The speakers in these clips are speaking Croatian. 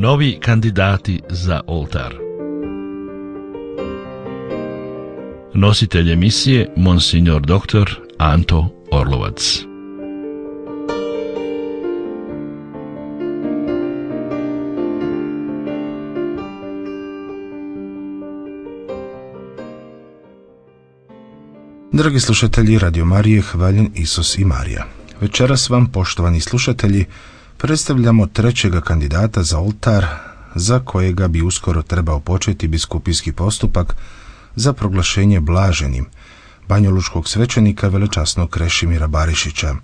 Novi kandidati za oltar. Nositelj emisije Monsignor dr. Anto Orlovac. Dragi slušatelji Radio Marije, hvaljen Isus i Marija. Večeras vam, poštovani slušatelji, predstavljamo trećega kandidata za oltar, za kojega bi uskoro trebao početi biskupijski postupak za proglašenje blaženim banjalučkog svećenika velečasnog Krešimira Barišića.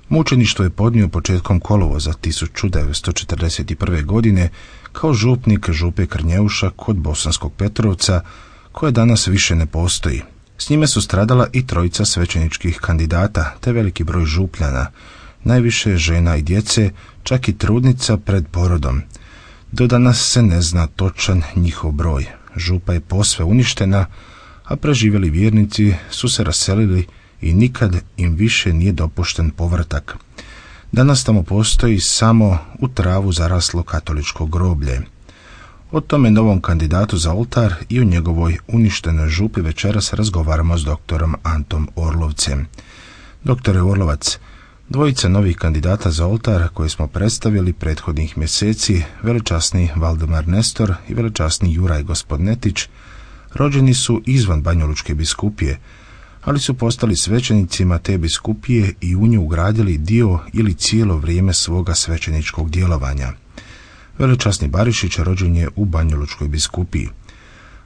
Mučeništvo je podnio početkom kolovoza 1941. godine kao župnik župe Krnjeuša kod Bosanskog Petrovca, koje danas više ne postoji. S njime su stradala i trojica svećeničkih kandidata, te veliki broj župljana, najviše žena i djece, čak i trudnica pred porodom. Do danas se ne zna točan njihov broj. Župa je posve uništena, a preživjeli vjernici su se raselili i nikad im više nije dopušten povratak. Danas tamo postoji samo u travu zaraslo katoličko groblje. O tome novom kandidatu za oltar i o njegovoj uništenoj župi večeras razgovaramo s doktorom Antom Orlovcem. Doktore Orlovac, dvojica novih kandidata za oltar koje smo predstavili prethodnih mjeseci, velečasni Valdemar Nestor i velečasni Juraj Gospodnetić, rođeni su izvan Banjalučke biskupije, ali su postali svećenicima te biskupije i u nju ugradili dio ili cijelo vrijeme svoga svećeničkog djelovanja. Velečasni Barišić rođen je u Banjalučkoj biskupiji.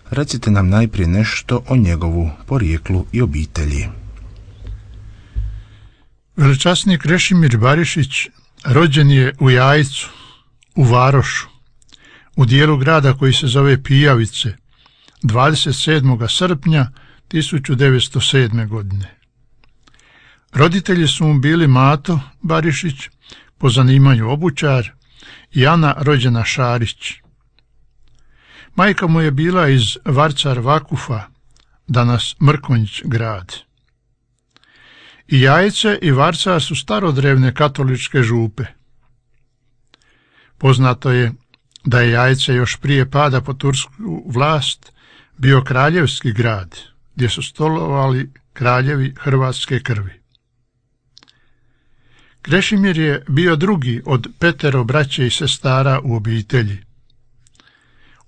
Recite nam najprije nešto o njegovu porijeklu i obitelji. Velečasni Krešimir Barišić rođen je u Jajcu, u Varošu, u dijelu grada koji se zove Pijavice, 27. srpnja 1907. godine. Roditelji su mu bili Mato Barišić, po zanimanju obućar, i Ana rođena Šarić. Majka mu je bila iz Varcar Vakufa, danas Mrkonjić grad. I Jajce i Varcar su starodrevne katoličke župe. Poznato je da je Jajce još prije pada pod tursku vlast bio kraljevski grad, gdje su stolovali kraljevi hrvatske krvi. Krešimir je bio drugi od 5 braće i sestara u obitelji.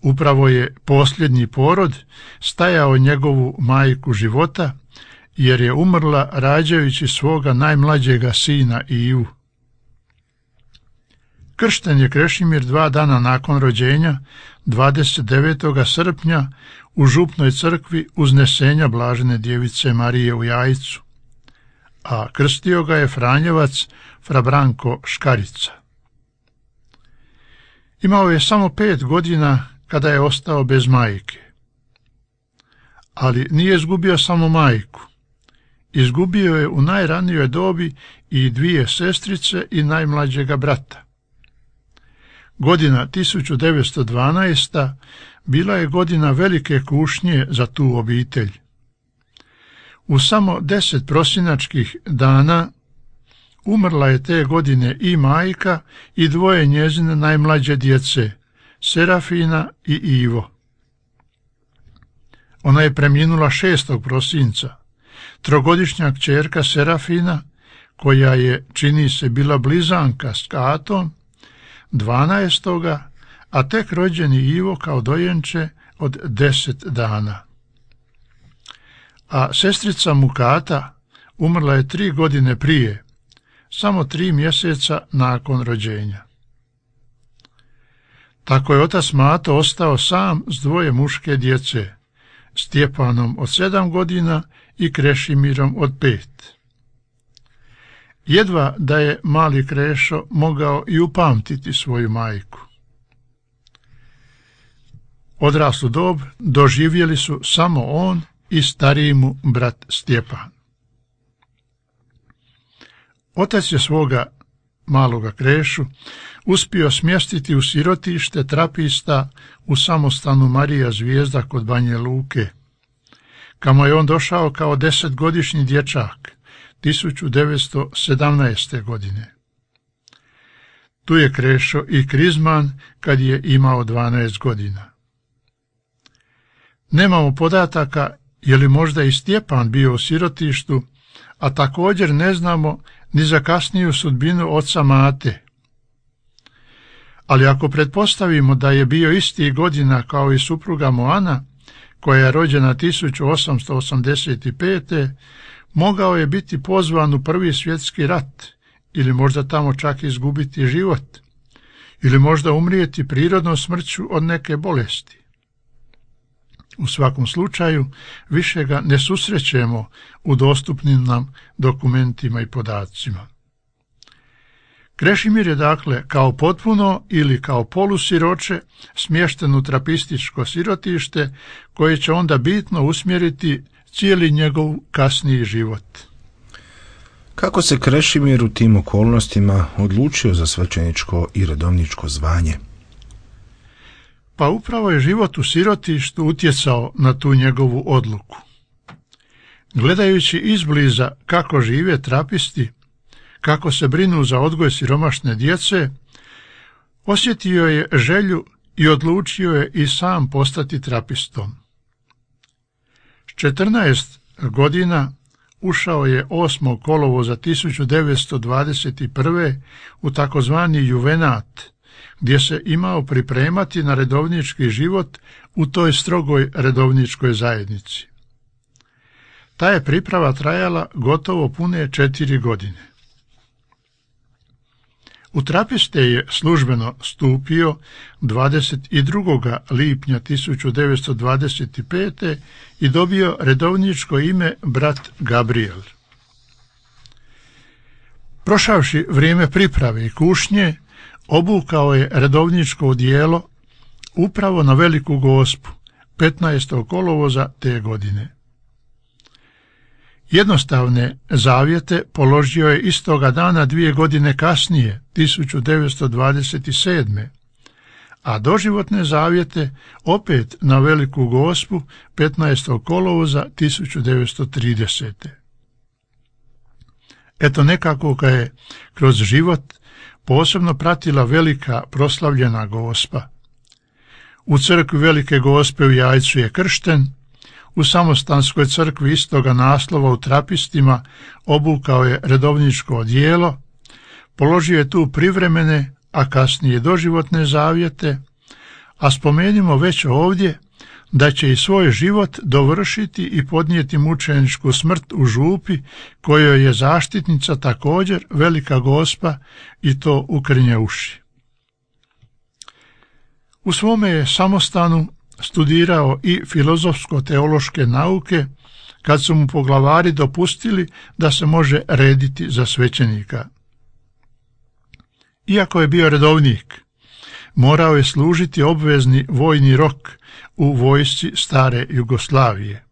Upravo je posljednji porod stajao njegovu majku života, jer je umrla rađajući svoga najmlađega sina Ivu. Kršten je Krešimir 2 dana nakon rođenja, 29. srpnja, u župnoj crkvi Uznesenja Blažene djevice Marije u Jajcu, a krstio ga je Franjevac fra Branko Škarica. Imao je samo 5 godina kada je ostao bez majke. Ali nije izgubio samo majku. Izgubio je u najranijoj dobi i 2 sestrice i najmlađega brata. Godina 1912. bila je godina velike kušnje za tu obitelj. U samo 10 prosinačkih dana umrla je te godine i majka i 2 njezine najmlađe djece, Serafina i Ivo. Ona je preminula 6. prosinca. 3-godišnja kćerka Serafina, koja je, čini se, bila blizanka s Katom, 12. a tek rođeni Ivo kao dojenče od 10 dana. A sestrica mu Kata umrla je 3 godine prije, samo 3 mjeseca nakon rođenja. Tako je otac Mato ostao sam s 2 muške djece, Stjepanom od 7 godina i Krešimirom od 5. Jedva da je mali Krešo mogao i upamtiti svoju majku. Odraslu dob doživjeli su samo on i stariji mu brat Stjepan. Otac je svoga maloga Krešu uspio smjestiti u sirotište trapista u samostanu Marija Zvijezda kod Banje Luke, kamo je on došao kao 10-godišnji dječak 1917. godine. Tu je Krešo i krizman kad je imao 12 godina. Nemamo podataka je li možda i Stjepan bio u sirotištu, a također ne znamo ni za kasniju sudbinu oca Mate. Ali ako pretpostavimo da je bio istih godina kao i supruga Moana, koja je rođena 1885. mogao je biti pozvan u Prvi svjetski rat, ili možda tamo čak izgubiti život, ili možda umrijeti prirodnom smrću od neke bolesti. U svakom slučaju, više ga ne susrećemo u dostupnim nam dokumentima i podacima. Krešimir je dakle kao potpuno ili kao polusiroče smješten u trapističko sirotište koje će onda bitno usmjeriti cijeli njegov kasniji život. Kako se Krešimir u tim okolnostima odlučio za svećeničko i redovničko zvanje? Pa upravo je život u sirotištu utjecao na tu njegovu odluku. Gledajući izbliza kako žive trapisti, kako se brinu za odgoj siromašne djece, osjetio je želju i odlučio je i sam postati trapistom. S 14 godina ušao je 8. kolovoza 1921. u takozvani juvenat, gdje se imao pripremati na redovnički život u toj strogoj redovničkoj zajednici. Ta je priprava trajala gotovo pune 4 godine. U trapiste je službeno stupio 22. lipnja 1925. i dobio redovničko ime brat Gabriel. Prošavši vrijeme priprave i kušnje, obukao je redovničko odijelo upravo na Veliku Gospu, 15. kolovoza te godine. Jednostavne zavjete položio je istoga dana 2 godine kasnije, 1927. a doživotne zavjete opet na Veliku Gospu 15. kolovoza 1930. Eto nekako ga je kroz život posebno pratila velika proslavljena Gospa. U crkvi Velike Gospe u Jajcu je kršten, u Samostanskoj crkvi istoga naslova u Trapistima obukao je redovničko odijelo, položio je tu privremene, a kasnije doživotne zavjete, a spomenimo već ovdje da će i svoj život dovršiti i podnijeti mučeničku smrt u župi, kojoj je zaštitnica također Velika Gospa i to u Krnjeuši. U svome je samostanu studirao i filozofsko-teološke nauke, kad su mu poglavari dopustili da se može rediti za svećenika. Iako je bio redovnik, morao je služiti obvezni vojni rok u vojsci stare Jugoslavije.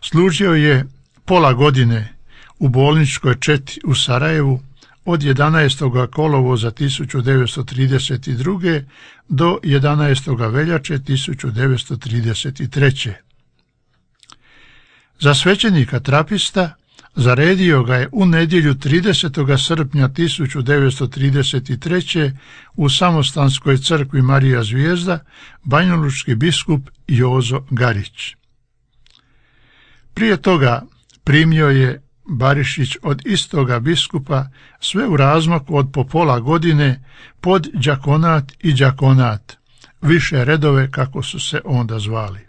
Služio je pola godine u bolničkoj četi u Sarajevu od 11. kolovoza 1932. do 11. veljače 1933. Za svećenika trapista zaredio ga je u nedjelju 30. srpnja 1933. u Samostanskoj crkvi Marija Zvijezda banjalučki biskup Jozo Garić. Prije toga primio je Barišić od istoga biskupa sve u razmaku od po pola godine pod đakonat i đakonat, više redove kako su se onda zvali.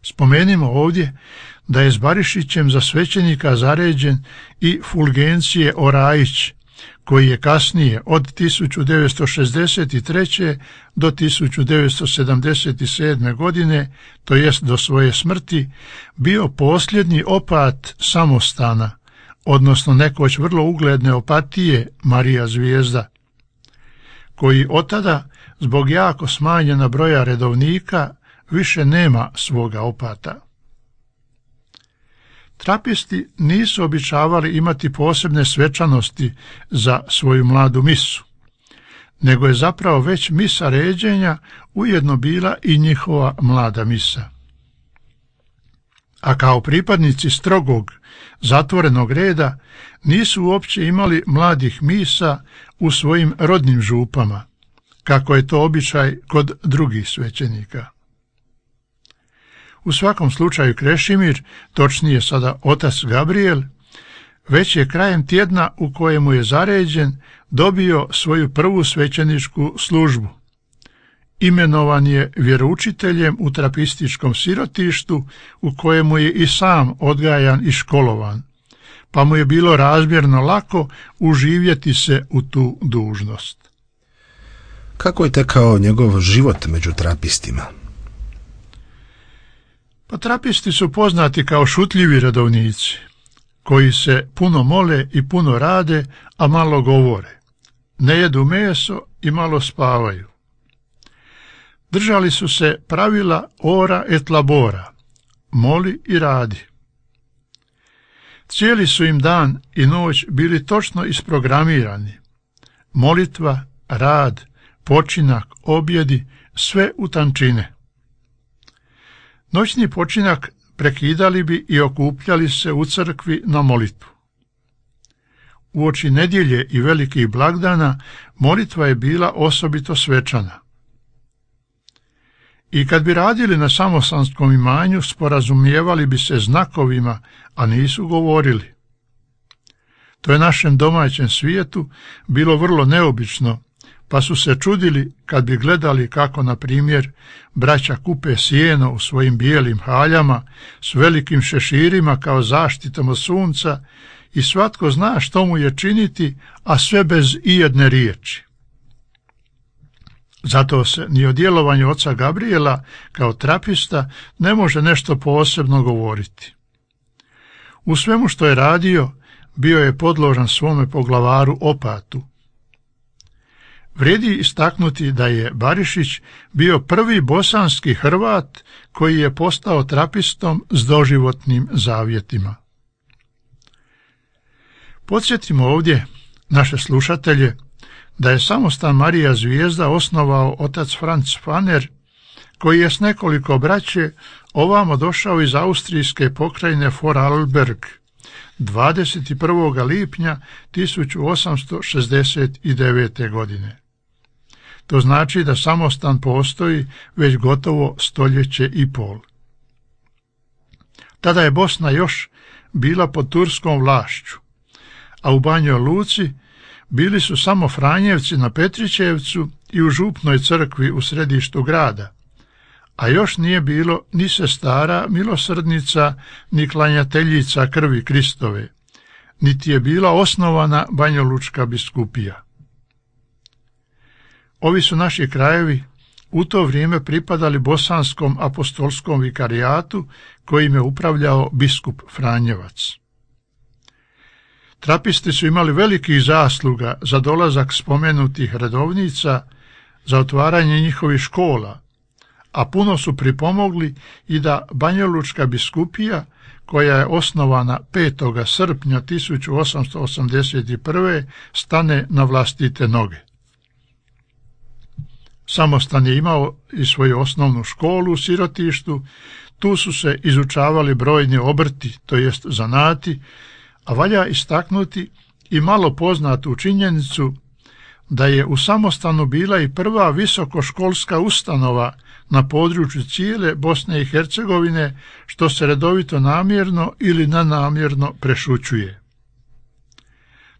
Spomenimo ovdje da je s Barišićem za svećenika zaređen i Fulgencije Orajić, koji je kasnije od 1963. do 1977. godine, to jest do svoje smrti, bio posljednji opat samostana, odnosno nekoć vrlo ugledne opatije Marija Zvijezda, koji od tada, zbog jako smanjena broja redovnika, više nema svoga opata. Trapisti nisu običavali imati posebne svečanosti za svoju mladu misu, nego je zapravo već misa ređenja ujedno bila i njihova mlada misa. a kao pripadnici strogog, zatvorenog reda nisu uopće imali mladih misa u svojim rodnim župama, kako je to običaj kod drugih svećenika. U svakom slučaju Krešimir, točnije sada otac Gabriel, već je krajem tjedna u kojemu je zaređen dobio svoju prvu svećeničku službu. Imenovan je vjeroučiteljem u trapističkom sirotištu u kojemu je i sam odgajan i školovan, pa mu je bilo razmjerno lako uživjeti se u tu dužnost. Kako je tekao njegov život među trapistima? Pa trapisti su poznati kao šutljivi redovnici, koji se puno mole i puno rade, a malo govore. Ne jedu meso i malo spavaju. Držali su se pravila ora et labora, moli i radi. Cijeli su im dan i noć bili točno isprogramirani. Molitva, rad, počinak, objedi, sve u tančine. Noćni počinak prekidali bi i okupljali se u crkvi na molitvu. Uoči nedjelje i velikih blagdana molitva je bila osobito svečana. I kad bi radili na samostanskom imanju, sporazumijevali bi se znakovima, a nisu govorili. To je našem domaćem svijetu bilo vrlo neobično, pa su se čudili kad bi gledali kako, na primjer, braća kupe sijeno u svojim bijelim haljama s velikim šeširima kao zaštitom od sunca i svatko zna što mu je činiti, a sve bez ijedne riječi. Zato se ni o djelovanju oca Gabriela kao trapista ne može nešto posebno govoriti. U svemu što je radio, bio je podložan svome poglavaru opatu. Vrijedi istaknuti da je Barišić bio prvi bosanski Hrvat koji je postao trapistom s doživotnim zavjetima. Podsjetimo ovdje naše slušatelje da je samostan Marija Zvijezda osnovao otac Franz Faner, koji je s nekoliko braće ovamo došao iz austrijske pokrajine Vorarlberg 21. lipnja 1869. godine. To znači da samostan postoji već gotovo stoljeće i pol. Tada je Bosna još bila pod turskom vlašću, a u Banjoj Luci bili su samo Franjevci na Petrićevcu i u župnoj crkvi u središtu grada, a još nije bilo ni sestara milosrdnica, ni klanjateljica krvi Kristove, niti je bila osnovana banjolučka biskupija. Ovi su naši krajevi u to vrijeme pripadali Bosanskom apostolskom vikarijatu kojim je upravljao biskup Franjevac. Trapisti su imali velikih zasluga za dolazak spomenutih redovnica, za otvaranje njihovih škola, a puno su pripomogli i da banjolučka biskupija, koja je osnovana 5. srpnja 1881. stane na vlastite noge. Samostan je imao i svoju osnovnu školu u sirotištu, tu su se izučavali brojni obrti, to jest zanati, a valja istaknuti i malo poznatu činjenicu da je u samostanu bila i prva visokoškolska ustanova na području cijele Bosne i Hercegovine, što se redovito namjerno ili nenamjerno prešućuje.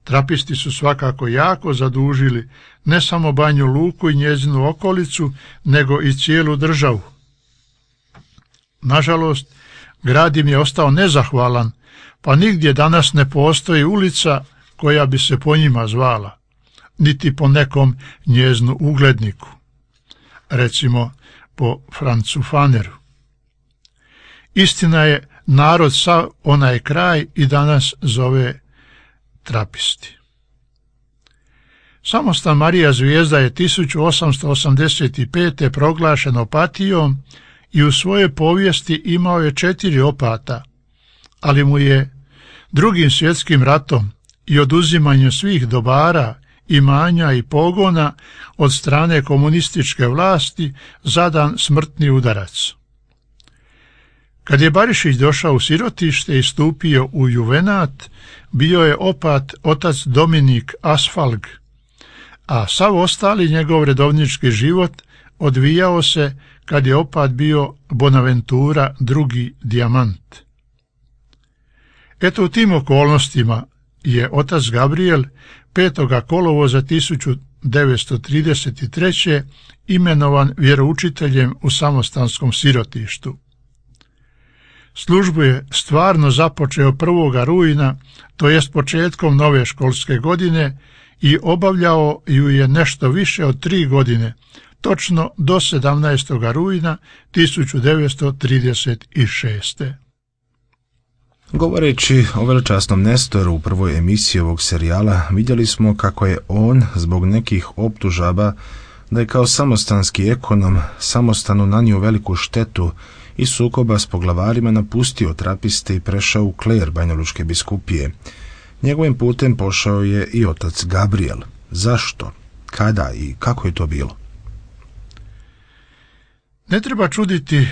Trapisti su svakako jako zadužili ne samo Banju Luku i njezinu okolicu, nego i cijelu državu. Nažalost, grad im je ostao nezahvalan, pa nigdje danas ne postoji ulica koja bi se po njima zvala, niti po nekom njeznu ugledniku, recimo po Francu Faneru. Istina je, narod sav onaj kraj i danas zove trapisti. Samostan Marija Zvijezda je 1885. proglašen opatijom i u svojoj povijesti imao je 4 opata, ali mu je Drugim svjetskim ratom i oduzimanjem svih dobara, imanja i pogona od strane komunističke vlasti zadan smrtni udarac. Kad je Barišić došao u sirotište i stupio u juvenat, bio je opat otac Dominik Asfalg, a sav ostali njegov redovnički život odvijao se kad je opat bio Bonaventura II. Dijamant. Eto u tim okolnostima je otac Gabriel 5. kolovoza 1933. imenovan vjeroučiteljem u samostanskom sirotištu. Službu je stvarno započeo 1. rujna, to jest početkom nove školske godine, i obavljao ju je nešto više od 3 godine, točno do 17. rujna 1936. Govoreći o veličasnom Nestoru u prvoj emisiji ovog serijala, vidjeli smo kako je on, zbog nekih optužaba da je kao samostanski ekonom samostanu nanio veliku štetu i sukoba s poglavarima, napustio trapiste i prešao u kler Banjalučke biskupije. Njegovim putem pošao je i otac Gabriel. Zašto? Kada i kako je to bilo? Ne treba čuditi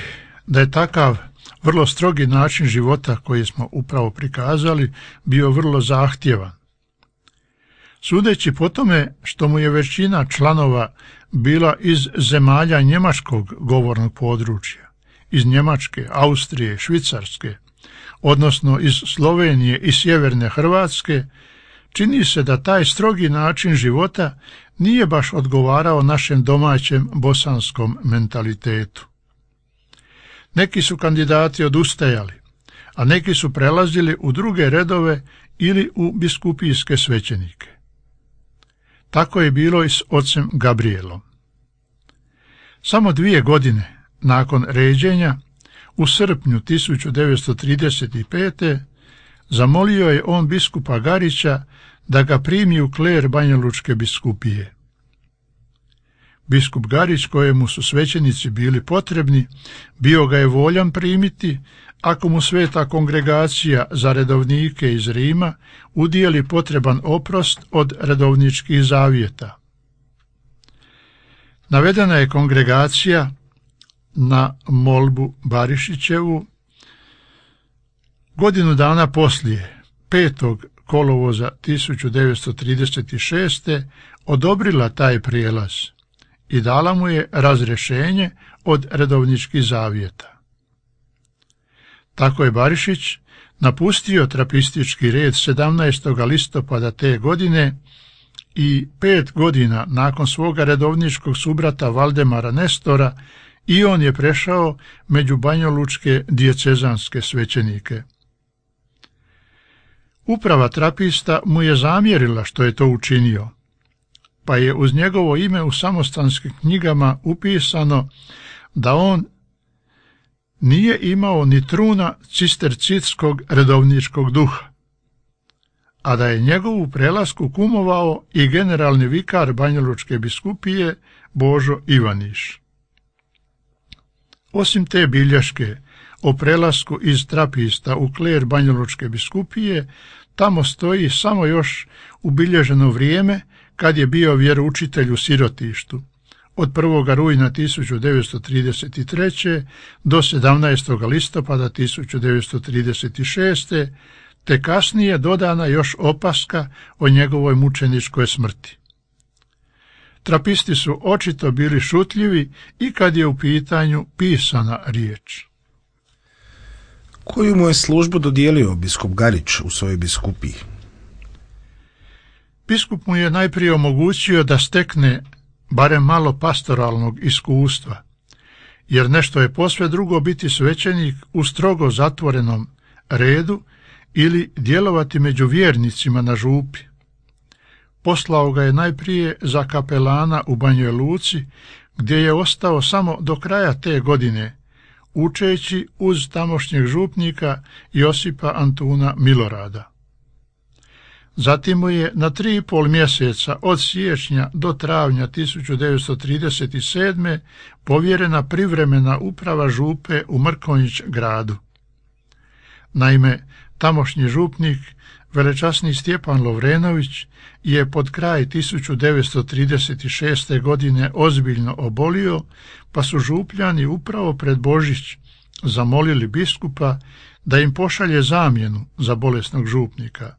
da je takav vrlo strogi način života koji smo upravo prikazali bio vrlo zahtjevan. Sudeći po tome što mu je većina članova bila iz zemalja njemačkog govornog područja, iz Njemačke, Austrije, Švicarske, odnosno iz Slovenije i sjeverne Hrvatske, čini se da taj strogi način života nije baš odgovarao našem domaćem bosanskom mentalitetu. Neki su kandidati odustajali, a neki su prelazili u druge redove ili u biskupijske svećenike. Tako je bilo i s ocem Gabrielom. Samo 2 godine nakon ređenja, u srpnju 1935. zamolio je on biskupa Garića da ga primi u kler Banjalučke biskupije. Biskup Garić, kojemu su svećenici bili potrebni, bio ga je voljan primiti ako mu Sveta kongregacija za redovnike iz Rima udijeli potreban oprost od redovničkih zavjeta. Navedena je kongregacija na molbu Barišićevu godinu dana poslije, 5. kolovoza 1936. odobrila taj prijelaz i dala mu je razrješenje od redovničkih zavjeta. Tako je Barišić napustio trapistički red 17. listopada te godine i 5 godina nakon svoga redovničkog subrata Valdemara Nestora i on je prešao među banjalučke dijecezanske svećenike. Uprava trapista mu je zamjerila što je to učinio, pa je uz njegovo ime u samostanskim knjigama upisano da on nije imao ni truna cistercitskog redovničkog duha, a da je njegovu prelasku kumovao i generalni vikar Banjalučke biskupije Božo Ivaniš. Osim te bilješke o prelasku iz trapista u kler Banjalučke biskupije, tamo stoji samo još ubilježeno vrijeme kad je bio vjeroučitelj u sirotištu, od 1. rujna 1933. do 17. listopada 1936. te kasnije dodana još opaska o njegovoj mučeničkoj smrti. Trapisti su očito bili šutljivi i kad je u pitanju pisana riječ. Koju mu je službu dodijelio biskup Garić u svojoj biskupiji? Biskup mu je najprije omogućio da stekne barem malo pastoralnog iskustva, jer nešto je posve drugo biti svećenik u strogo zatvorenom redu ili djelovati među vjernicima na župi. Poslao ga je najprije za kapelana u Banjoj Luci, gdje je ostao samo do kraja te godine, učeći uz tamošnjeg župnika Josipa Antuna Milorada. Zatim mu je na 3,5 mjeseca od siječnja do travnja 1937. povjerena privremena uprava župe u Mrkonjić gradu. Naime, tamošnji župnik, velečasni Stjepan Lovrenović, je pod kraj 1936. godine ozbiljno obolio, pa su župljani upravo pred Božić zamolili biskupa da im pošalje zamjenu za bolesnog župnika,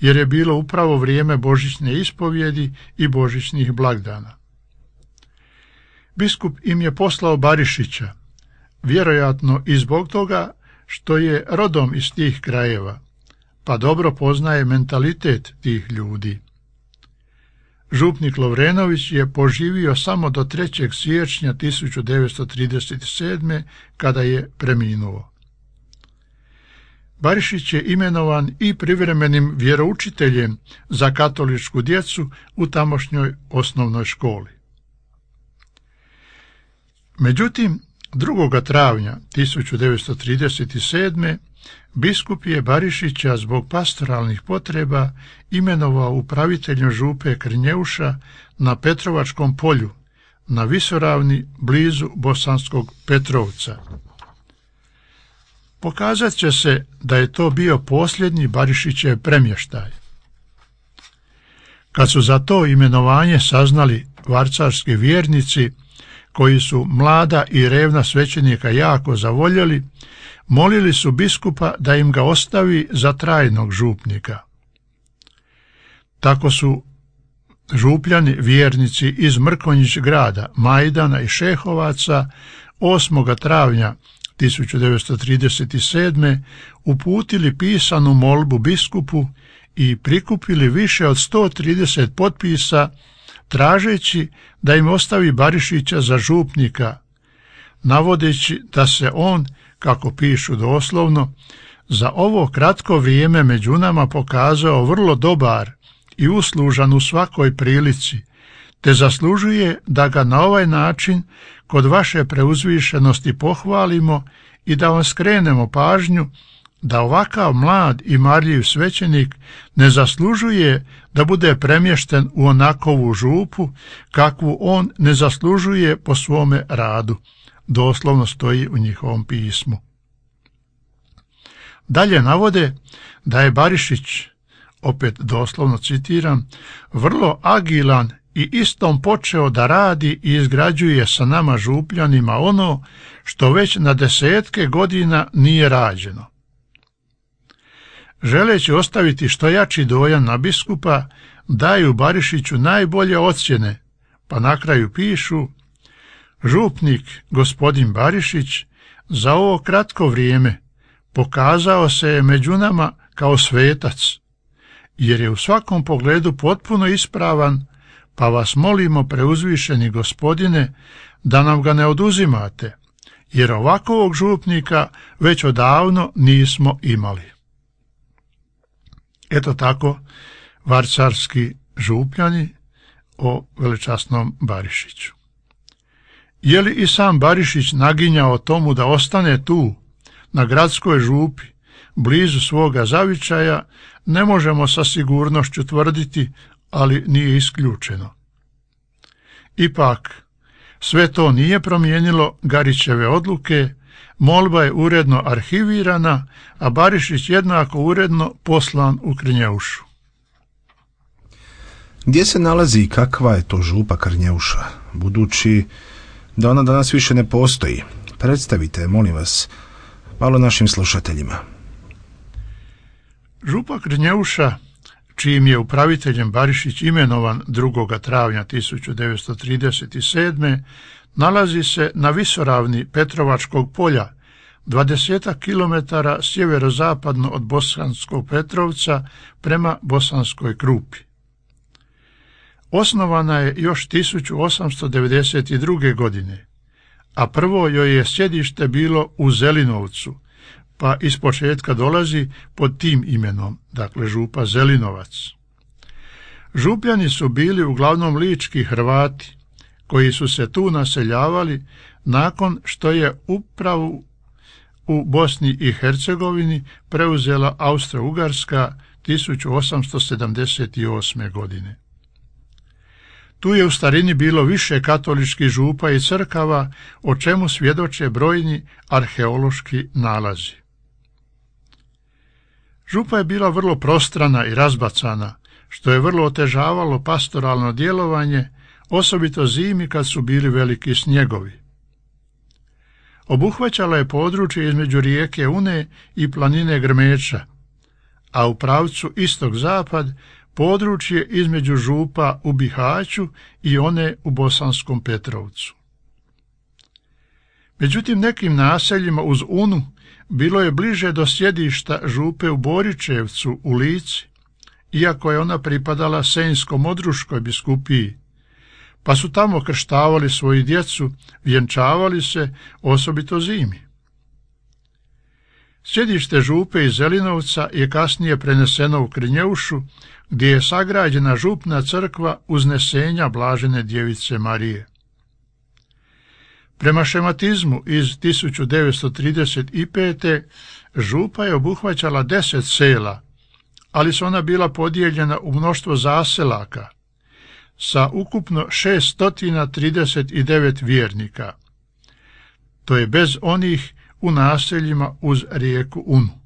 jer je bilo upravo vrijeme božićne ispovjedi i božićnih blagdana. Biskup im je poslao Barišića, vjerojatno i zbog toga što je rodom iz tih krajeva, pa dobro poznaje mentalitet tih ljudi. Župnik Lovrenović je poživio samo do 3. siječnja 1937. kada je preminuo. Barišić je imenovan i privremenim vjeroučiteljem za katoličku djecu u tamošnjoj osnovnoj školi. Međutim, 2. travnja 1937. biskup je Barišića zbog pastoralnih potreba imenovao upraviteljem župe Krnjeuša na Petrovačkom polju, na visoravni blizu Bosanskog Petrovca. Pokazat će se da je to bio posljednji Barišićev premještaj. Kad su za to imenovanje saznali varcarski vjernici, koji su mlada i revna svećenika jako zavoljeli, molili su biskupa da im ga ostavi za trajnog župnika. Tako su župljani vjernici iz Mrkonjić grada, Majdana i Šehovaca 8. travnja 1937. uputili pisanu molbu biskupu i prikupili više od 130 potpisa tražeći da im ostavi Barišića za župnika, navodeći da se on, kako pišu doslovno, za ovo kratko vrijeme među nama pokazao vrlo dobar i uslužan u svakoj prilici, te zaslužuje da ga na ovaj način kod vaše preuzvišenosti pohvalimo i da vam skrenemo pažnju da ovakav mlad i marljiv svećenik ne zaslužuje da bude premješten u onakovu župu kakvu on ne zaslužuje po svome radu, doslovno stoji u njihovom pismu. Dalje navode da je Barišić, opet doslovno citiram, vrlo agilan i istom počeo da radi i izgrađuje sa nama župljanima ono što već na desetke godina nije rađeno. Želeći ostaviti što jači dojam na biskupa, daju Barišiću najbolje ocjene, pa na kraju pišu: župnik gospodin Barišić za ovo kratko vrijeme pokazao se je među nama kao svetac, jer je u svakom pogledu potpuno ispravan, pa vas molimo, preuzvišeni gospodine, da nam ga ne oduzimate, jer ovakvog župnika već odavno nismo imali. Eto tako varcarski župljani o velečasnom Barišiću. Je li i sam Barišić naginjao tomu da ostane tu, na gradskoj župi, blizu svoga zavičaja, ne možemo sa sigurnošću tvrditi, ali nije isključeno. Ipak, sve to nije promijenilo Garićeve odluke, molba je uredno arhivirana, a Barišić jednako uredno poslan u Krnjeušu. Gdje se nalazi i kakva je to župa Krnjeuša, budući da ona danas više ne postoji? Predstavite, molim vas, malo našim slušateljima. Župa Krnjeuša, čijim je upraviteljem Barišić imenovan 2. travnja 1937. nalazi se na visoravni Petrovačkog polja, 20 km sjeverozapadno od Bosanskog Petrovca prema Bosanskoj Krupi. Osnovana je još 1892. godine, a prvo joj je sjedište bilo u Zelinovcu, pa ispočetka dolazi pod tim imenom, dakle župa Zelinovac. Župljani su bili uglavnom lički Hrvati, koji su se tu naseljavali nakon što je upravu u Bosni i Hercegovini preuzela Austro-Ugarska 1878. godine. Tu je u starini bilo više katoličkih župa i crkava, o čemu svjedoče brojni arheološki nalazi. Župa je bila vrlo prostrana i razbacana, što je vrlo otežavalo pastoralno djelovanje, osobito zimi kad su bili veliki snjegovi. Obuhvaćala je područje između rijeke Une i planine Grmeča, a u pravcu istog-zapad područje između župa u Bihaću i one u Bosanskom Petrovcu. Međutim, nekim naseljima uz Unu bilo je bliže do sjedišta župe u Boričevcu u Lici, iako je ona pripadala Senjsko-Modruškoj biskupiji, pa su tamo krštavali svoju djecu, vjenčavali se, osobito zimi. Sjedište župe iz Zelinovca je kasnije preneseno u Krnjeušu, gdje je sagrađena župna crkva Uznesenja Blažene djevice Marije. Prema šematizmu iz 1935. župa je obuhvaćala 10 sela, ali su ona bila podijeljena u mnoštvo zaselaka sa ukupno 639 vjernika. To je bez onih u naseljima uz rijeku Unu.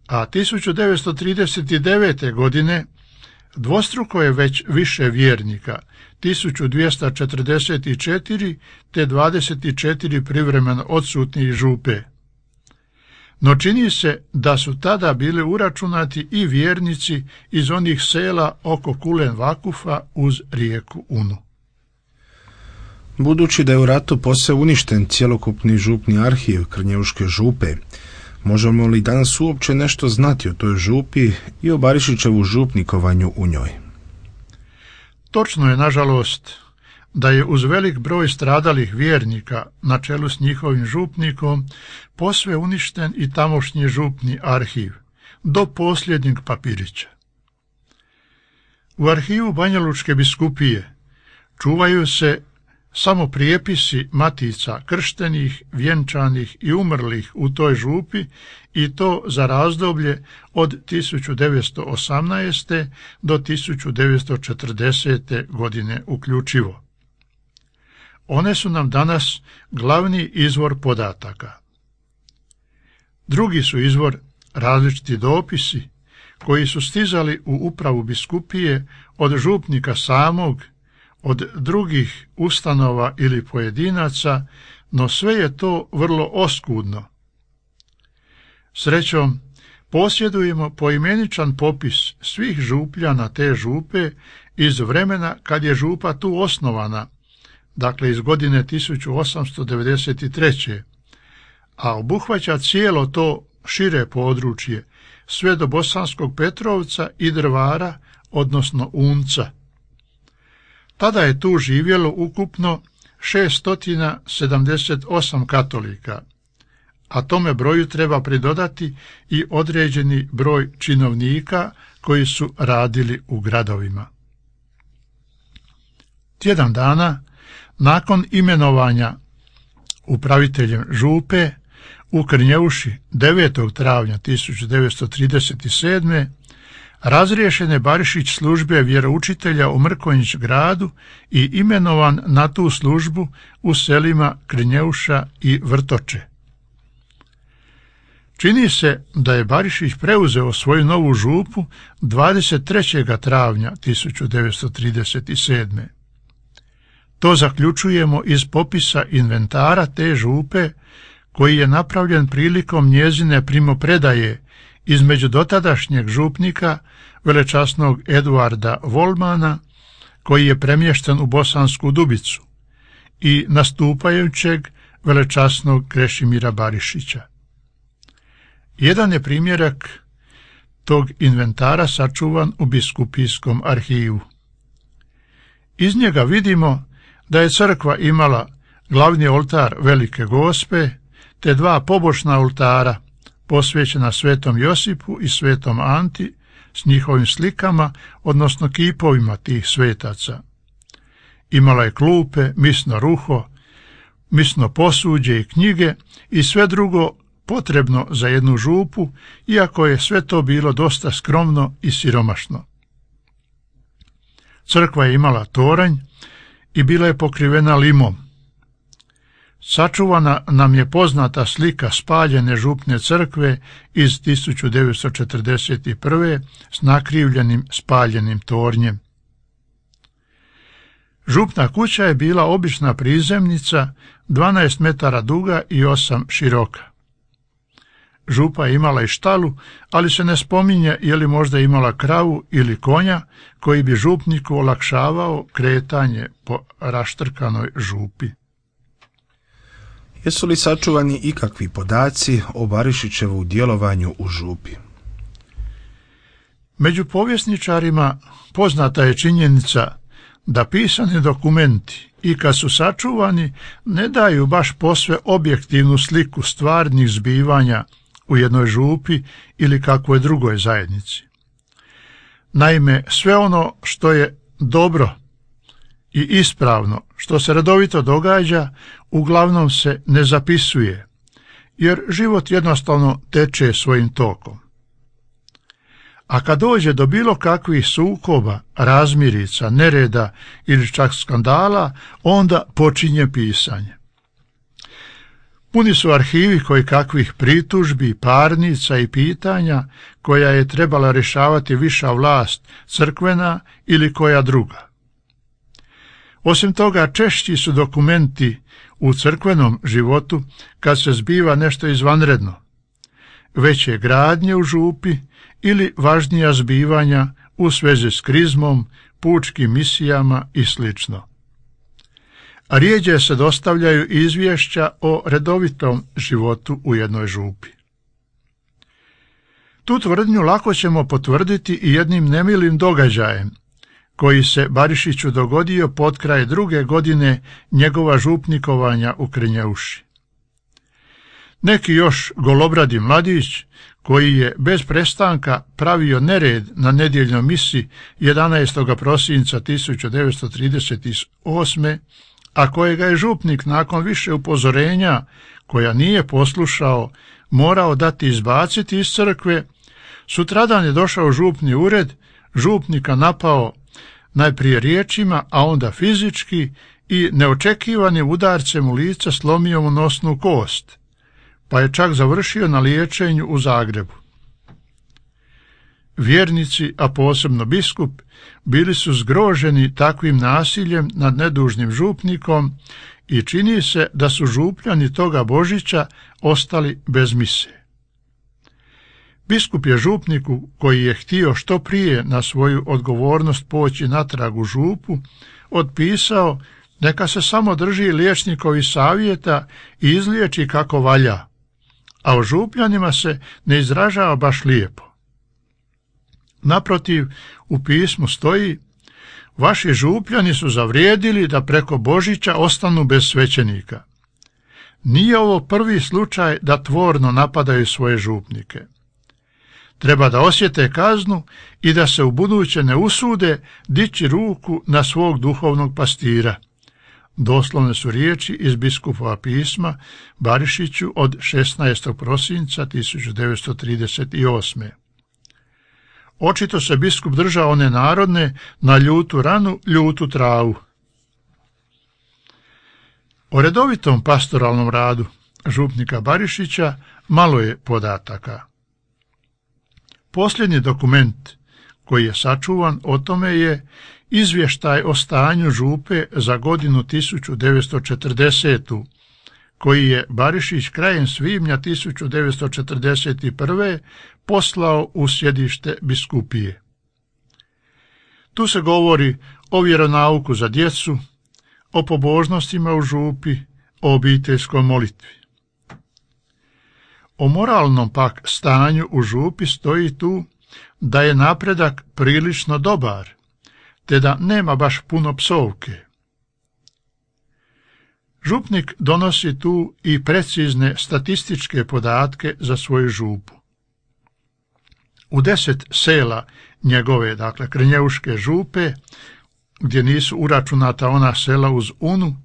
A 1939. godine dvostruko je već više vjernika, 1244 te 24 privremeno odsutni župe. No čini se da su tada bili uračunati i vjernici iz onih sela oko Kulen Vakufa uz rijeku Unu. Budući da je u ratu posve uništen cjelokupni župni arhiv Krnjeuške župe, možemo li danas uopće nešto znati o toj župi i o Barišićevu župnikovanju u njoj? Točno je, nažalost, da je uz velik broj stradalih vjernika na čelu s njihovim župnikom posve uništen i tamošnji župni arhiv, do posljednjeg papirića. U arhivu Banjalučke biskupije čuvaju se samo prijepisi matica krštenih, vjenčanih i umrlih u toj župi, i to za razdoblje od 1918. do 1940. godine uključivo. One su nam danas glavni izvor podataka. Drugi su izvor različiti dopisi koji su stizali u upravu biskupije od župnika samog, od drugih ustanova ili pojedinaca, no sve je to vrlo oskudno. Srećom, posjedujemo poimeničan popis svih župljana te župe iz vremena kad je župa tu osnovana, dakle iz godine 1893. a obuhvaća cijelo to šire područje, sve do Bosanskog Petrovca i Drvara, odnosno Unca. Tada je tu živjelo ukupno 678 katolika, a tome broju treba pridodati i određeni broj činovnika koji su radili u gradovima. Tjedan dana nakon imenovanja upraviteljem župe u Krnjeuši 9. travnja 1937. razriješen je Barišić službe vjeroučitelja u Mrkonjić gradu i imenovan na tu službu u selima Krnjeuša i Vrtoče. Čini se da je Barišić preuzeo svoju novu župu 23. travnja 1937. To zaključujemo iz popisa inventara te župe koji je napravljen prilikom njezine primopredaje između dotadašnjeg župnika velečasnog Eduarda Volmana, koji je premješten u Bosansku Dubicu, i nastupajućeg velečasnog Krešimira Barišića. Jedan je primjerak tog inventara sačuvan u biskupijskom arhivu. Iz njega vidimo da je crkva imala glavni oltar Velike Gospe te dva pobočna oltara posvećena Svetom Josipu i Svetom Anti s njihovim slikama, odnosno kipovima tih svetaca. Imala je klupe, misno ruho, misno posuđe i knjige i sve drugo potrebno za jednu župu, iako je sve to bilo dosta skromno i siromašno. Crkva je imala toranj i bila je pokrivena limom. Sačuvana nam je poznata slika spaljene župne crkve iz 1941. s nakrivljenim spaljenim tornjem. Župna kuća je bila obična prizemnica 12 metara duga i 8 široka. Župa je imala i štalu, ali se ne spominje je li možda imala kravu ili konja koji bi župniku olakšavao kretanje po raštrkanoj župi. Jesu li sačuvani ikakvi podaci o Barišićevu djelovanju u župi? Među povjesničarima poznata je činjenica da pisani dokumenti i kad su sačuvani ne daju baš posve objektivnu sliku stvarnih zbivanja u jednoj župi ili kakvoj drugoj zajednici. Naime, sve ono što je dobro i ispravno, što se redovito događa, uglavnom se ne zapisuje, jer život jednostavno teče svojim tokom. A kad dođe do bilo kakvih sukoba, razmirica, nereda ili čak skandala, onda počinje pisanje. Puni su arhivi koji kakvih pritužbi, parnica i pitanja koja je trebala rješavati viša vlast, crkvena ili koja druga. Osim toga, češći su dokumenti u crkvenom životu kad se zbiva nešto izvanredno, veće gradnje u župi ili važnija zbivanja u svezi s krizmom, pučkim misijama i sl. A rijeđe se dostavljaju izvješća o redovitom životu u jednoj župi. Tu tvrdnju lako ćemo potvrditi i jednim nemilim događajem koji se Barišiću dogodio potkraj 2. godine njegova župnikovanja u Krnjeuši. Neki još golobradi mladić, koji je bez prestanka pravio nered na nedjeljnoj misi 11. prosinca 1938. a kojega je župnik nakon više upozorenja, koja nije poslušao, morao dati izbaciti iz crkve, sutradan je došao u župni ured, župnika napao najprije riječima, a onda fizički i neočekivanim udarcem u lice slomio mu nosnu kost, pa je čak završio na liječenju u Zagrebu. Vjernici, a posebno biskup, bili su zgroženi takvim nasiljem nad nedužnim župnikom i čini se da su župljani toga Božića ostali bez mise. Biskup je župniku, koji je htio što prije na svoju odgovornost poći natrag u župu, otpisao neka se samo drži liječnikovi savjeta i izliječi kako valja, a o župljanima se ne izražava baš lijepo. Naprotiv, u pismu stoji: vaši župljani su zavrijedili da preko Božića ostanu bez svećenika. Nije ovo prvi slučaj da tvorno napadaju svoje župnike. Treba da osjete kaznu i da se ubuduće ne usude dići ruku na svog duhovnog pastira. Doslovne su riječi iz biskupova pisma Barišiću od 16. prosinca 1938. Očito se biskup držao one narodne: na ljutu ranu, ljutu travu. O redovitom pastoralnom radu župnika Barišića malo je podataka. Posljednji dokument koji je sačuvan o tome je izvještaj o stanju župe za godinu 1940. koji je Barišić krajem svibnja 1941. poslao u sjedište biskupije. Tu se govori o vjeronauku za djecu, o pobožnostima u župi, o obiteljskoj molitvi. O moralnom pak stanju u župi stoji tu da je napredak prilično dobar, te da nema baš puno psovke. Župnik donosi tu i precizne statističke podatke za svoju župu. U 10 sela njegove, dakle Krnjeuške župe, gdje nisu uračunata ona sela uz Unu,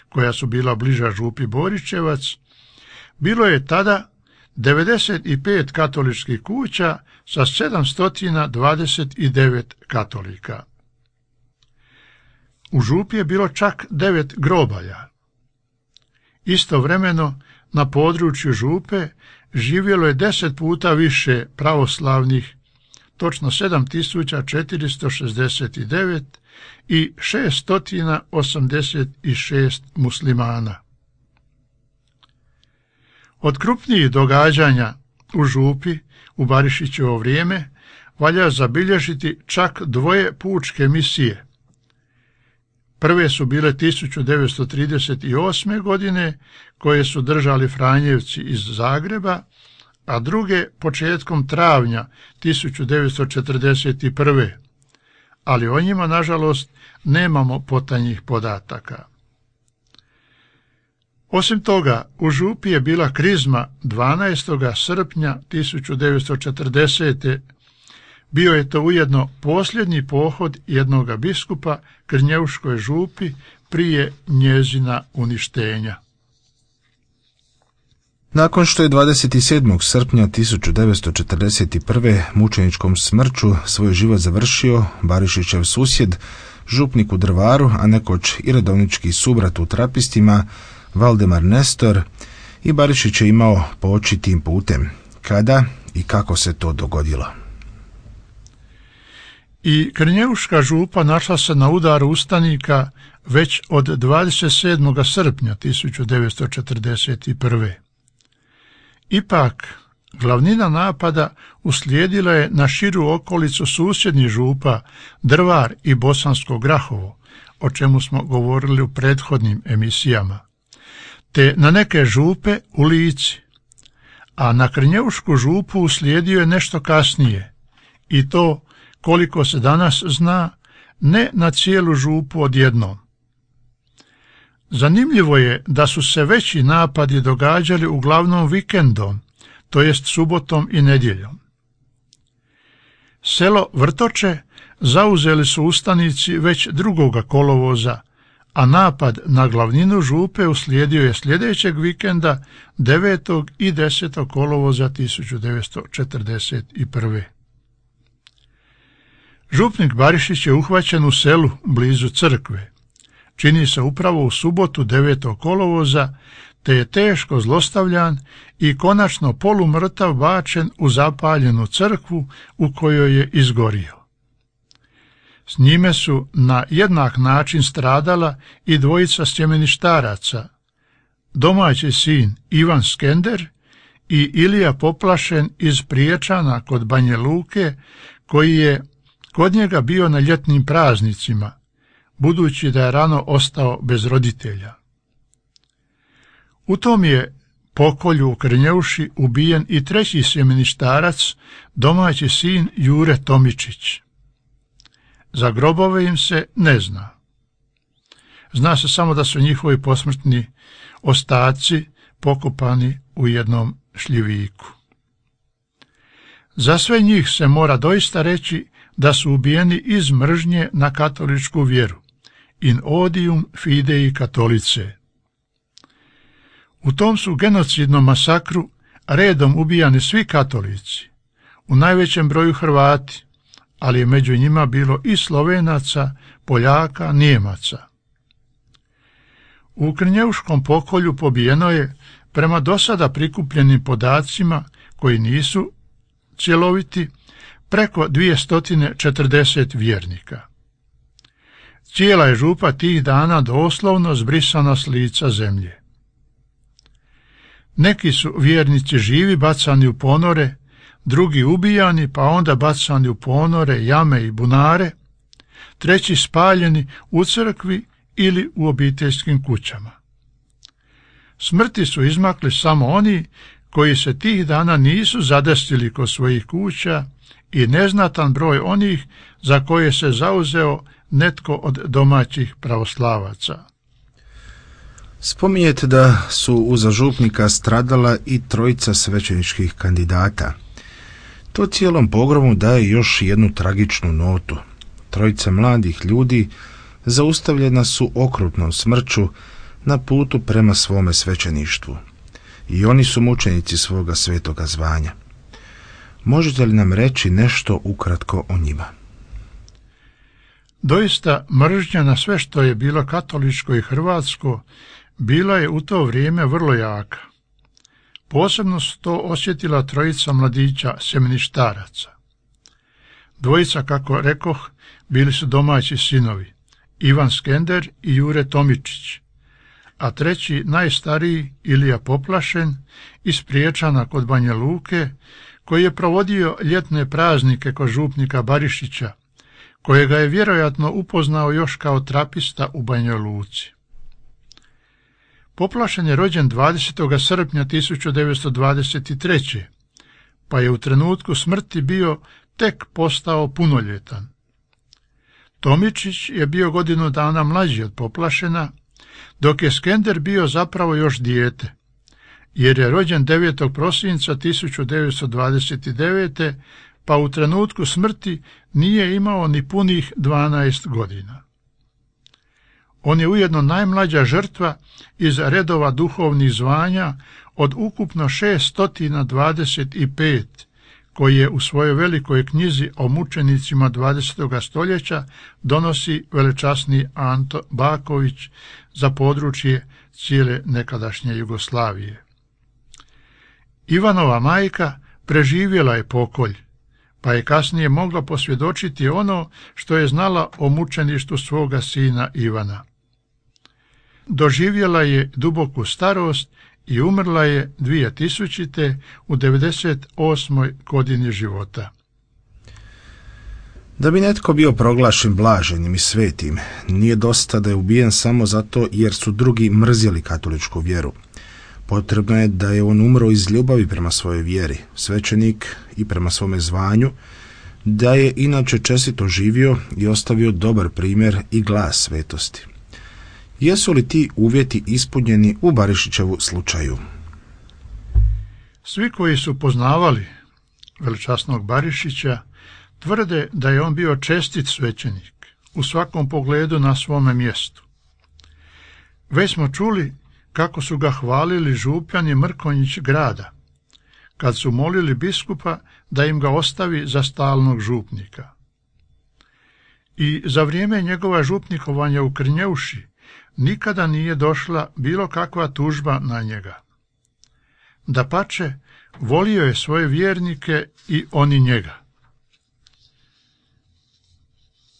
koja su bila bliža župi Boričevac, bilo je tada 95 katoličkih kuća sa 729 katolika. U župi je bilo čak 9 grobalja. Istovremeno na području župe živjelo je 10 puta više pravoslavnih, točno 7469 i 686 muslimana. Od krupnijih događanja u župi u Barišićevo vrijeme valja zabilježiti čak 2 pučke misije. Prve su bile 1938. godine, koje su držali Franjevci iz Zagreba, a druge početkom travnja 1941. Ali o njima, nažalost, nemamo potanjih podataka. Osim toga, u župi je bila krizma 12. srpnja 1940. Bio je to ujedno posljednji pohod jednoga biskupa Krnjeuškoj župi prije njezina uništenja. Nakon što je 27. srpnja 1941. mučeničkom smrću svoj život završio Barišićev susjed, župnik u Drvaru, a nekoć i redovnički subrat u Trapistima, Valdemar Nestor, i Barišić je imao poći tim putem. Kada i kako se to dogodilo? I Krnjeuška župa našla se na udaru ustanika već od 27. srpnja 1941. Ipak, glavnina napada uslijedila je na širu okolicu susjednih župa Drvar i Bosansko Grahovo, o čemu smo govorili u prethodnim emisijama, te na neke župe u Lici, a na Krnjeušku župu uslijedio je nešto kasnije, i to, koliko se danas zna, ne na cijelu župu odjednom. Zanimljivo je da su se veći napadi događali uglavnom vikendom, to jest subotom i nedjeljom. Selo Vrtoče zauzeli su ustanici već 2. kolovoza, a napad na glavninu župe uslijedio je sljedećeg vikenda 9. i 10. kolovoza 1941. Župnik Barišić je uhvaćen u selu blizu crkve. Čini se upravo u subotu 9. kolovoza, te je teško zlostavljan i konačno polumrtav bačen u zapaljenu crkvu u kojoj je izgorio. S njime su na jednak način stradala i 2 sjemeništaraca, domaći sin Ivan Skender i Ilija Poplašen iz Priječana kod Banje Luke, koji je kod njega bio na ljetnim praznicima, budući da je rano ostao bez roditelja. U tom je pokolju u Krnjeuši ubijen i 3. sjemeništarac, domaći sin Jure Tomičić. Za grobove im se ne zna. Zna se samo da su njihovi posmrtni ostaci pokopani u jednom šljiviku. Za sve njih se mora doista reći da su ubijeni iz mržnje na katoličku vjeru, in odium fidei Catholicae. U tom su genocidnom masakru redom ubijani svi katolici, u najvećem broju Hrvati, ali je među njima bilo i Slovenaca, Poljaka, Nijemaca. U Krnjeuškom pokolju pobijeno je, prema dosada prikupljenim podacima koji nisu cjeloviti, preko 240 vjernika. Cijela je župa tih dana doslovno zbrisana s lica zemlje. Neki su vjernici živi bacani u ponore, drugi ubijani pa onda bacani u ponore, jame i bunare, treći spaljeni u crkvi ili u obiteljskim kućama. Smrti su izmakli samo oni koji se tih dana nisu zadesili kod svojih kuća i neznatan broj onih za koje se zauzeo netko od domaćih pravoslavaca. Spominjete da su uza župnika stradala i 3 svećeničkih kandidata. To cijelom pogromu daje još jednu tragičnu notu. 3 mladih ljudi zaustavljena su okrutnom smrću na putu prema svome svećeništvu. I oni su mučenici svoga svetoga zvanja. Možete li nam reći nešto ukratko o njima? Doista, mržnja na sve što je bilo katoličko i hrvatsko bila je u to vrijeme vrlo jaka. Posebno su to osjetila 3 mladića sjemeništaraca. 2, kako rekoh, bili su domaći sinovi, Ivan Skender i Jure Tomičić, a treći najstariji Ilija Poplašen iz Priječana kod Banja Luke, koji je provodio ljetne praznike kod župnika Barišića, kojega je vjerojatno upoznao još kao trapista u Banjoj Luci. Poplašen je rođen 20. srpnja 1923. pa je u trenutku smrti bio tek postao punoljetan. Tomičić je bio godinu dana mlađi od Poplašena, dok je Skender bio zapravo još dijete, jer je rođen 9. prosinca 1929. pa u trenutku smrti nije imao ni punih 12 godina. On je ujedno najmlađa žrtva iz redova duhovnih zvanja od ukupno 625, koji je u svojoj velikoj knjizi o mučenicima 20. stoljeća donosi velečasni Anto Baković za područje cijele nekadašnje Jugoslavije. Ivanova majka preživjela je pokolj, pa je kasnije mogla posvjedočiti ono što je znala o mučeništvu svoga sina Ivana. Doživjela je duboku starost i umrla je 2000. u 98. godini života. Da bi netko bio proglašen blaženim i svetim, nije dosta da je ubijen samo zato jer su drugi mrzjeli katoličku vjeru. Potrebno je da je on umro iz ljubavi prema svojoj vjeri, svećenik i prema svome zvanju, da je inače čestito živio i ostavio dobar primjer i glas svetosti. Jesu li ti uvjeti ispunjeni u Barišićevu slučaju? Svi koji su poznavali velečasnog Barišića tvrde da je on bio čestit svećenik, u svakom pogledu na svome mjestu. Već smo čuli kako su ga hvalili župljani Mrkonjić grada, kad su molili biskupa da im ga ostavi za stalnog župnika. I za vrijeme njegova župnikovanja u Krnjeuši nikada nije došla bilo kakva tužba na njega. Dapače, volio je svoje vjernike i oni njega.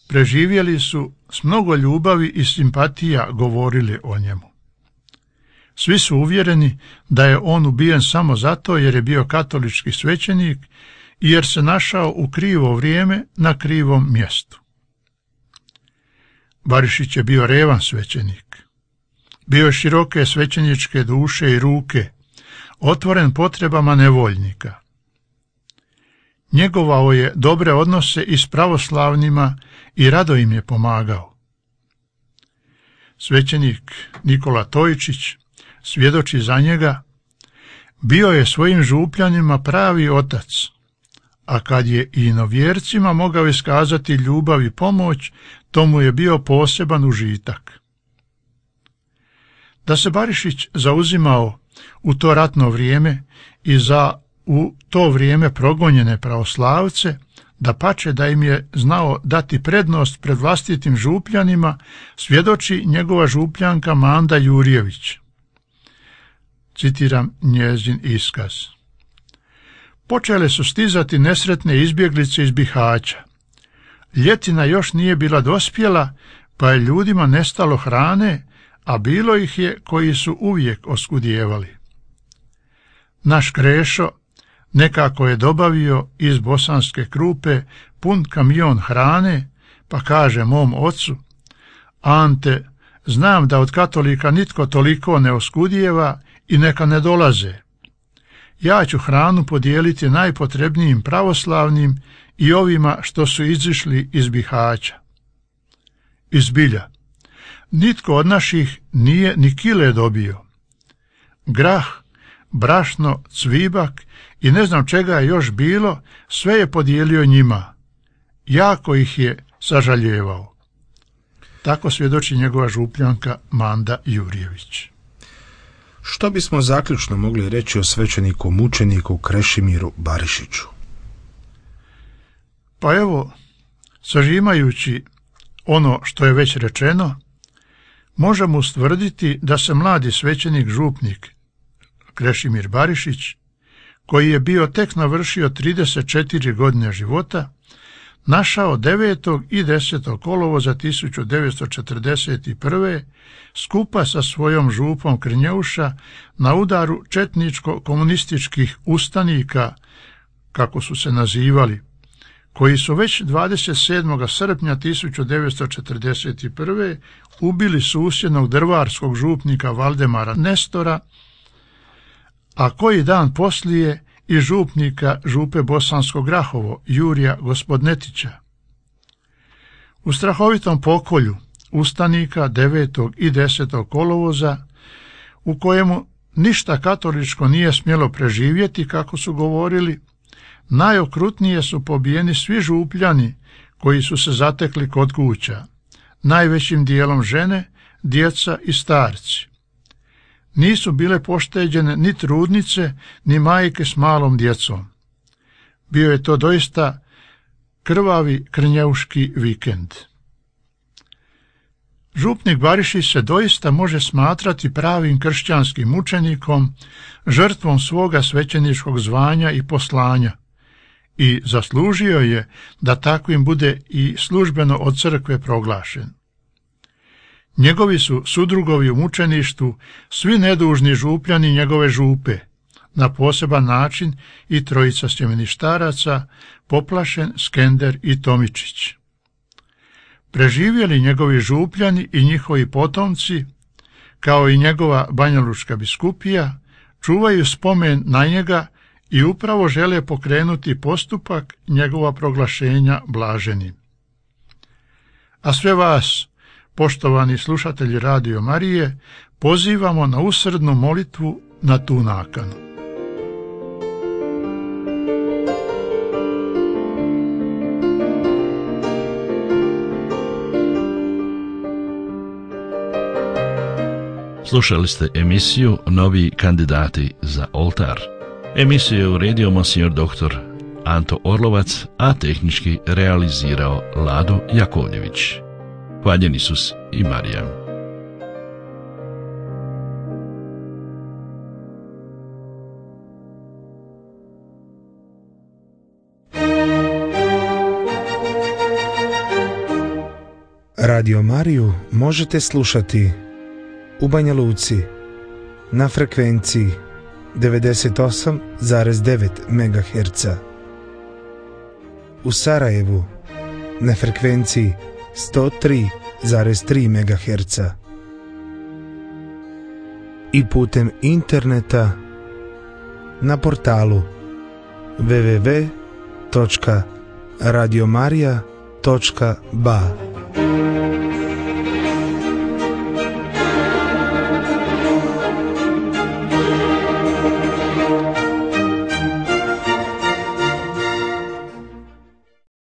Preživjeli su s mnogo ljubavi i simpatija govorili o njemu. Svi su uvjereni da je on ubijen samo zato jer je bio katolički svećenik i jer se našao u krivo vrijeme na krivom mjestu. Barišić je bio revan svećenik. Bio je široke svećeničke duše i ruke, otvoren potrebama nevoljnika. Njegovao je dobre odnose i s pravoslavnima i rado im je pomagao. Svećenik Nikola Tojičić svjedoči za njega: bio je svojim župljanima pravi otac, a kad je i inovjercima mogao iskazati ljubav i pomoć, to mu je bio poseban užitak. Da se Barišić zauzimao u to ratno vrijeme i za u to vrijeme progonjene pravoslavce, dapače da im je znao dati prednost pred vlastitim župljanima, svjedoči njegova župljanka Manda Jurjević. Citiram njezin iskaz. Počele su stizati nesretne izbjeglice iz Bihaća. Ljetina još nije bila dospjela, pa je ljudima nestalo hrane, a bilo ih je koji su uvijek oskudijevali. Naš Krešo nekako je dobavio iz Bosanske Krupe pun kamion hrane, pa kaže mom ocu: Ante, znam da od katolika nitko toliko ne oskudijeva i neka ne dolaze. Ja ću hranu podijeliti najpotrebnijim pravoslavnim i ovima što su izišli iz Bihaća. I zbilja, nitko od naših nije ni kile dobio. Grah, brašno, cvibak i ne znam čega je još bilo, sve je podijelio njima. Jako ih je sažaljevao. Tako svjedoči njegova župljanka Manda Jurjević. Što bismo zaključno mogli reći o svećeniku mučeniku Krešimiru Barišiću? Pa evo, sažimajući ono što je već rečeno, možemo ustvrditi da se mladi svećenik župnik Krešimir Barišić, koji je bio tek navršio 34 godine života, našao 9. i 10. kolovoza 1941. skupa sa svojom župom Krnjeuša na udaru četničko-komunističkih ustanika, kako su se nazivali, koji su već 27. srpnja 1941. ubili susjednog drvarskog župnika Valdemara Nestora, a koji dan poslije i župnika župe Bosansko Grahovo Jurija Gospodnetića. U strahovitom pokolju ustanika 9. i 10. kolovoza, u kojemu ništa katoličko nije smjelo preživjeti, kako su govorili, najokrutnije su pobijeni svi župljani koji su se zatekli kod kuća, najvećim dijelom žene, djeca i starci. Nisu bile pošteđene ni trudnice, ni majke s malom djecom. Bio je to doista krvavi krnjeuški vikend. Župnik Barišić se doista može smatrati pravim kršćanskim mučenikom, žrtvom svoga svećeničkog zvanja i poslanja, i zaslužio je da takvim bude i službeno od crkve proglašen. Njegovi su sudrugovi u mučeništvu svi nedužni župljani njegove župe, na poseban način i trojica sjemeništaraca, Poplašen, Skender i Tomičić. Preživjeli njegovi župljani i njihovi potomci, kao i njegova banjalučka biskupija, čuvaju spomen na njega i upravo žele pokrenuti postupak njegova proglašenja blaženim. A sve vas, poštovani slušatelji Radio Marije, pozivamo na usrdnu molitvu na tu nakanu. Slušali ste emisiju Novi kandidati za oltar. Emisiju je uredio monsignor dr. Anto Orlovac, a tehnički realizirao Lado Jakovljević. Hvaljen Isus i Marija. Radio Mariju možete slušati u Banja Luci na frekvenciji 98,9 MHz, u Sarajevu na frekvenciji 103,3 MHz i putem interneta na portalu www.radiomaria.ba.